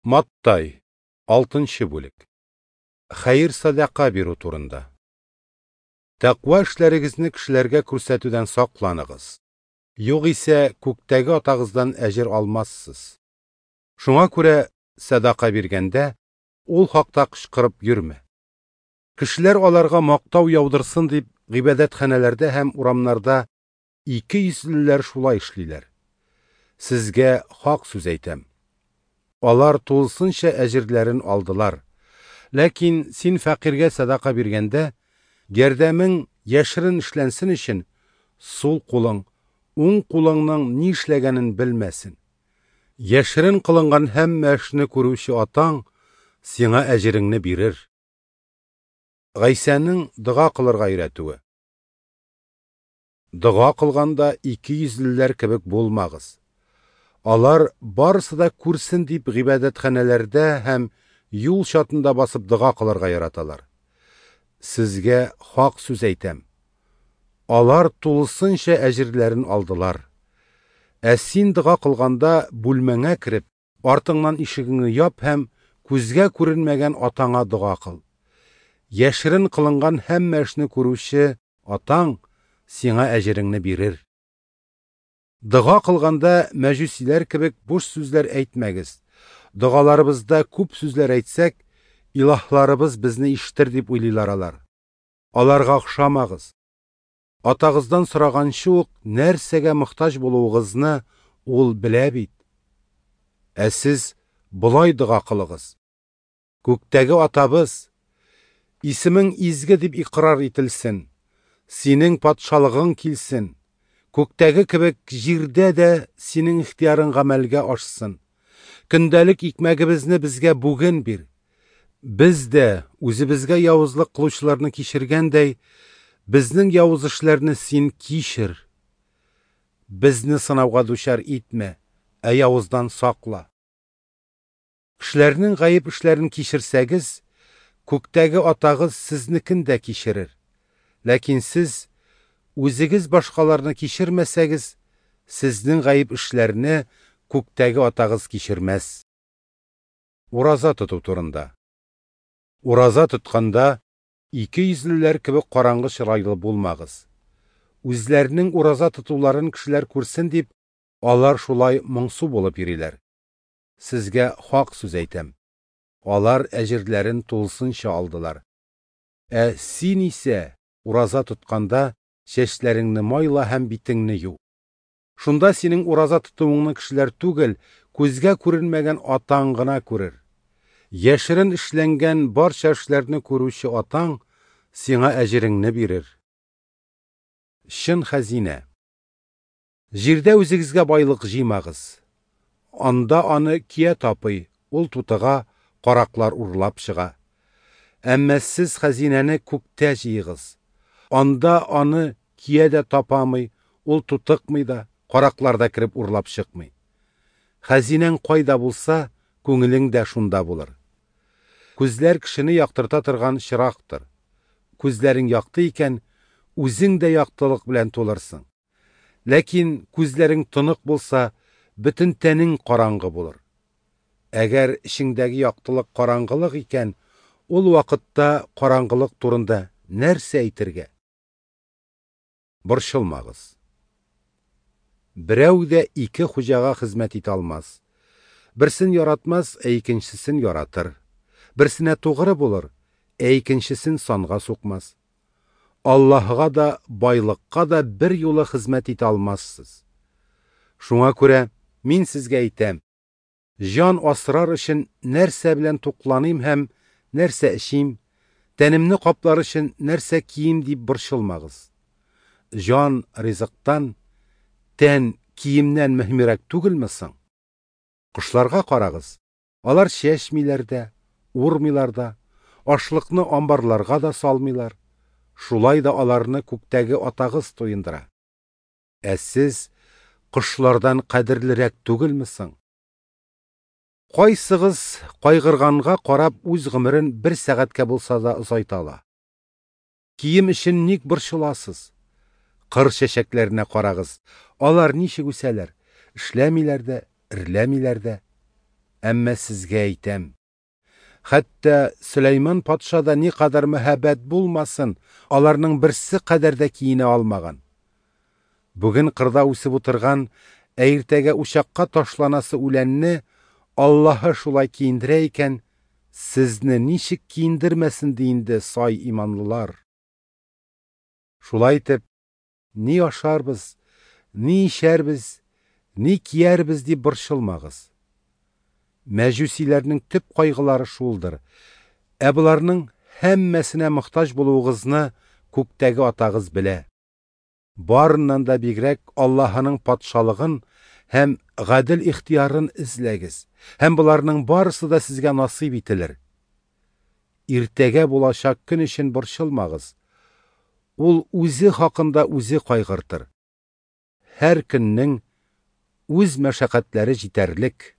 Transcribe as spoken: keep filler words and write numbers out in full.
Маттай, алтынчы бүлек. Хәер-садака бирү турында. Тәкъва эшләрегезне кешеләргә күрсәтүдән сакланыгыз. Югыйсә күктәге атагыздан әҗер алмассыз. Шуңа күрә садака биргәндә ул хакта кычкырып йөрмә. Кешеләр аларга мактау яудырсын дип гыйбадәтханәләрдә һәм урамнарда ике йөзлеләр шулай эшлиләр. Сезгә хак сүз әйтәм. Алар тулысынча әҗерләрен алдылар. Ләкин син фәкыйрьгә садака биргәндә, ярдәмең яшерен эшләнсен өчен, сул кулың, уң кулыңның ни эшләгәнен белмәсен. Яшерен кылынган һәммә эшне күрүче атаң сиңа әҗереңне бирер. Гайсәнең дога кылырга өйрәтүе. Дога кылганда ике йөзлеләр кебек булмагыз. Алар барысы да күрсен дип гыйбадәтханәләрдә һәм юл чатында басып дога кылырга яраталар. Сезгә хак сүз әйтәм. Алар тулысынча әҗерләрен алдылар. Ә син дога кылганда бүлмәңә кереп, артыңнан ишегеңне яп һәм күзгә күренмәгән атаңа дога кыл. Яшерен кылынган һәммә эшне күрүче атаң сиңа әҗереңне бирер. Дога кылганда мәҗүсиләр кебек буш сүзләр әйтмәгез. Догаларыбызда күп сүзләр әйтсәк, илаһларыбыз безне ишетер дип уйлыйлар алар. Аларга охшамагыз. Атагыздан сораганчы ук нәрсәгә мохтаҗ булуыгызны ул белә бит. Ә сез болай дога кылыгыз. Күктәге атабыз, исемең изге дип икрар ителсен, синең патшалыгың килсен. Күктәге кебек җирдә дә синең ихтыярың гамәлгә ашсын. Көндәлек икмәгебезне безгә бүген бир. Без дә үзебезгә явызлык кылучыларны кичергәндәй, безнең явыз эшләрне син кичер. Безне сынауга дучар итмә, ә явыздан сакла. Кешеләрнең гаеп эшләрен кичерсәгез, күктәге атагыз сезнекен дә кичерер. Ләкин сез үзегез башкаларны кичермәсәгез, сезнең гаеп эшләрне күктәге атагыз кичермәс. Ураза тоту турында. Ураза тотканда ике йөзлеләр кебек караңгы чырайлы булмагыз. Үзләренең ураза тотуларын кешеләр күрсен дип, алар шулай моңсу булып йөриләр. Сезгә хак сүз әйтәм. Алар әҗерләрен тулысынча алдылар. Ә син исә ураза тотканда чәчләреңне майла һәм битеңне ю. Шунда синең ураза тотуыңны кешеләр түгел, күзгә күренмәгән атаң гына күрер. Яшерен эшләнгән барча эшләрне күрүче атаң сиңа әҗереңне бирер. Чын хәзинә. Җирдә үзегезгә байлык җыймагыз. Анда аны кия тапый, ул тутыга, караклар урлап чыга. Әмма сез хәзинәне күктә җыйгыз. Анда аны кия дә тапамый, ул тутыкмый да, караклар да кереп урлап чыкмый. Хәзинәң кайда булса, күңелең дә шунда булыр. Күзләр кешене яктырта торган чырактыр. Күзләрең якты икән, үзең дә яктылык белән тулырсың. Ләкин күзләрең тонык булса, бөтен тәнең караңгы булыр. Әгәр эчеңдәге яктылык караңгылык икән, ул вакытта караңгылык турында нәрсә әйтергә? Борчылмагыз. Берәү дә ике хуҗага хезмәт итә алмас. Берсен яратмас, ә икенчесен яратыр. Берсенә тугры булыр, ә икенчесен санга сукмас. Аллаһыга да, байлыкка да бер юлы хезмәт итә алмассыз. Шуңа күрә мин сезгә әйтәм: җан асрар өчен нәрсә белән тукланыйм һәм нәрсә эчим, тәнемне каплар өчен нәрсә кием дип борчылмагыз. Җан ризыктан, тән киемнән мөһимрәк түгелме соң? Кошларга карагыз. Алар чәчмиләр дә, урмыйлар да, ашлыкны амбарларга да салмыйлар. Шулай да аларны күктәге атагыз туендыра. Ә сез кошлардан кадерлерәк түгелме соң? Кайсыгыз кайгырганга карап үз гомерен бер сәгатькә булса да озайта ала? Кием өчен ник борчыласыз? Кыр чәчәкләренә карагыз. Алар ничек үсәләр? Эшләмиләр дә, эрләмиләр дә. Әмма сезгә әйтәм: хәтта Сөләйман патша да никадәр мәһабәт булмасын, аларның берсе кадәр дә киенә алмаган. Бүген кырда үсеп утырган, ә иртәгә учакка ташланасы үләнне Аллаһы шулай киендерә икән, сезне ничек киендермәсен ди инде, сай иманлылар! Шулай итеп, ни ашарбыз, ни эчәрбез, ни киярбез дип борчылмагыз. Мәҗүсиләрнең төп кайгылары шулдыр. Ә боларның һәммәсенә мохтаҗ булуыгызны күктәге Атагыз белә. Барыннан да бигрәк Аллаһының патшалыгын һәм гадел ихтыярын эзләгез, һәм боларның барысы да сезгә насыйп ителер. Иртәгә булачак көн өчен борчылмагыз. Ул үзе хакында үзе кайгыртыр. Һәр көннең үз мәшәкатьләре җитәрлек.